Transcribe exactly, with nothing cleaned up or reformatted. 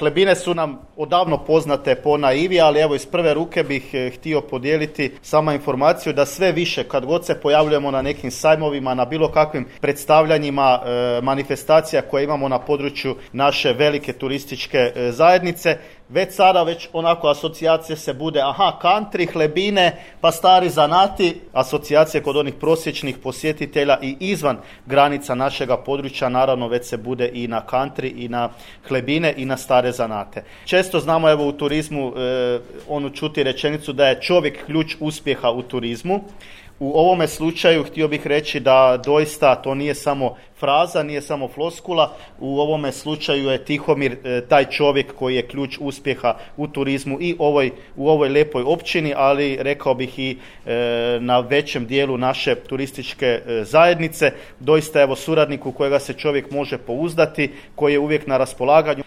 Hlebine su nam odavno poznate po naivi, ali evo iz prve ruke bih htio podijeliti sama informaciju da sve više kad god se pojavljujemo na nekim sajmovima, na bilo kakvim predstavljanjima, e, manifestacija koje imamo na području naše velike turističke e, zajednice, već sada već onako asocijacije se bude, aha, country, hlebine, pa stari zanati, asocijacije kod onih prosječnih posjetitelja i izvan granica našega područja, naravno već se bude i na country i na hlebine i na stare zanate. Često znamo evo u turizmu e, onu čuti rečenicu da je čovjek ključ uspjeha u turizmu. U ovome slučaju htio bih reći da doista to nije samo fraza, nije samo floskula. U ovome slučaju je Tihomir e, taj čovjek koji je ključ uspjeha u turizmu i ovoj, u ovoj lijepoj općini, ali rekao bih i e, na većem dijelu naše turističke e, zajednice. Doista evo suradnik u kojega se čovjek može pouzdati, koji je uvijek na raspolaganju.